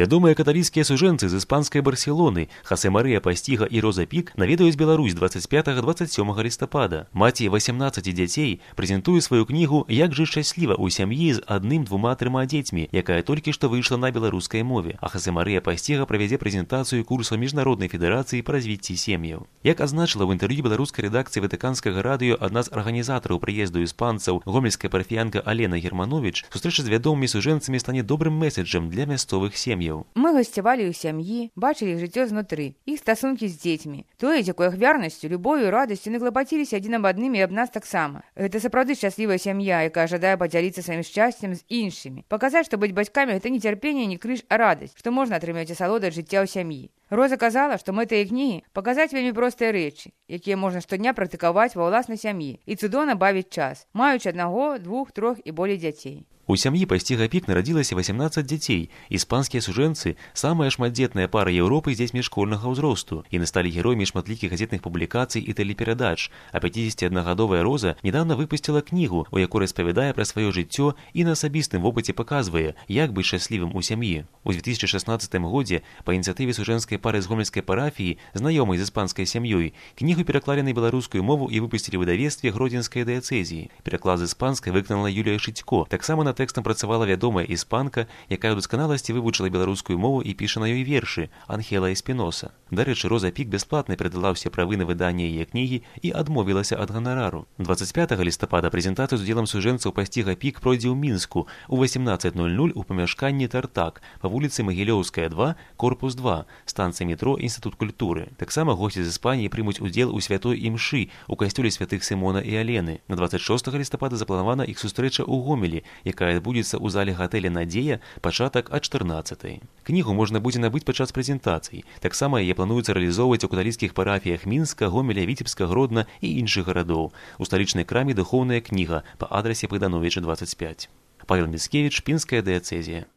Вядомыя каталіцкія сужэнцы з іспанскай Барселоны Хосе Марыя Пасціга і Роза Пік наведаюць Беларусь 25-27 лістапада. Маці 18 дзяцей прэзентуе сваю кнігу «Як жыць шчасліва ў сям'і з 1-2-3 дзецьмі», якая толькі што выйшла на беларускай мове, а Хосе Марыя Пасціга правядзе прэзентацыю курса Міжнароднай федэрацыі па развіцці сем'яў. Як азначыла ў інтэрв'ю беларускай рэдакцыі Ватыканскага радыё адна з арганізатараў прыезду іспанцаў, гомельская парафіянка Алена Германович, сустрэча з вядомымі сужэнцамі стане добрым месседжам для мясцовых сем'яў. Мы гасцявалі ў сям'і, бачылі іх жыццё знутры, іх стасункі з дзецьмі. Тое, з якой ахвярнасцю, любов'ю і радасцю яны клапаціліся адзін аб адным і аб нас таксама. Гэта сапраўды шчаслівая сям'я, якая жадае падзяліцца сваім шчасцем з іншымі. Паказаць, што быць бацькамі гэта не цярпенне, не крыж, а радасць, што можна атрымаць асалоду ад жыцця ў сям'і. Роза казала, што мэта яе кнігі паказаць вельмі простыя рэчы, якія можна штодня практыкаваць ва ўласнай сям'і і цудоўна бавіць час, маючы 1, 2, 3 і болей дзяцей. У сям'і Пасціга Пік нарадзілася 18 дзяцей. Іспанскія сужэнцы – самая шматдзетная пара Еўропы з дзецьмі школьнага ўзросту. Яны сталі героямі шматлікіх газетных публікацый і тэлеперадач. А 51гадовая Роза недавно выпусціла кнігу, у якой распавядае пра сваё жыццё і на асабістым вопыце паказвае, як быць шчаслівым у сям'і. У 2016 годзе па ініцыятыве сужэнскай пары з гомельскай парафіі, знаёмай з іспанскай сям'ёй, кнігу пераклалі на беларускую мову і выпусцілі ў выдавецтве Гродзенскай дыяцэзіі. Пераклад з іспанскай выканала Юлія Шыцько. Таксама на тэкстам працавала вядомая іспанка, якая ў дасканаласці вывучыла беларускую мову і піша на ёй вершы, Анхела Эспіноса. Дарэчы, Роза Пік бясплатна перадала ўсе правы на выданне яе кнігі і адмовілася ад ганарару. 25 лістапада прэзентацыя з удзелам сужэнцаў Пасціга Пік пройдзе ў Мінску у 18:00 у памяшканні «Тартак» па вуліцы Магілёўская, 2, корпус 2, станцыя метро Інстытут культуры. Таксама госці з Іспаніі прымуць удзел у святой імшы у касцёле святых Сімона і Алены. На 26 лістапада запланавана іх сустрэча ў Гомелі, якая адбудзецца ў зале гатэля «Надзея» пачатак ад 14:00. Кнігу можна будзе набыць падчас прэзентацый. Таксама яе плануецца рэалізоўваць у каталіцкіх парафіях Мінска, Гомеля, Віцебска, Гродна і іншых гарадоў. У сталічнай краме духоўная кніга па адрасе Богдановича, 25. Павел Міцкевіч, Пінская дыяцэзія.